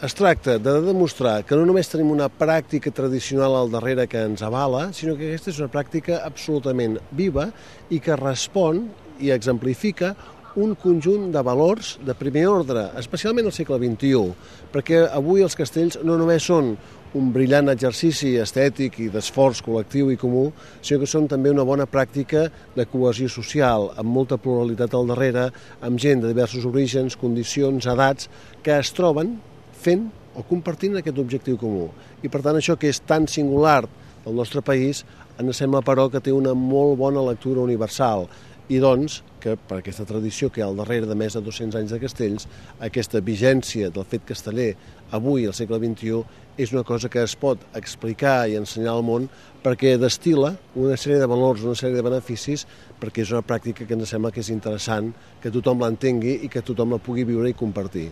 Es tracta de demostrar que no només tenim una pràctica tradicional al darrere que ens avala, sinó que aquesta és una pràctica absolutament viva i que respon i exemplifica un conjunt de valors de primer ordre, especialment al segle XXI, perquè avui els castells no només són un brillant exercici estètic i d'esforç col·lectiu i comú, sinó que són també una bona pràctica de cohesió social, amb molta pluralitat al darrere, amb gent de diversos orígens, condicions, edats, que es troben fent o compartint aquest objectiu comú. I per tant això que és tan singular del nostre país ens sembla però que té una molt bona lectura universal i doncs que per aquesta tradició que hi ha al darrere de més de 200 anys de castells, aquesta vigència del fet casteller avui al segle XXI és una cosa que es pot explicar i ensenyar al món perquè destil·la una sèrie de valors, una sèrie de beneficis, perquè és una pràctica que ens sembla que és interessant que tothom l'entengui i que tothom la pugui viure i compartir.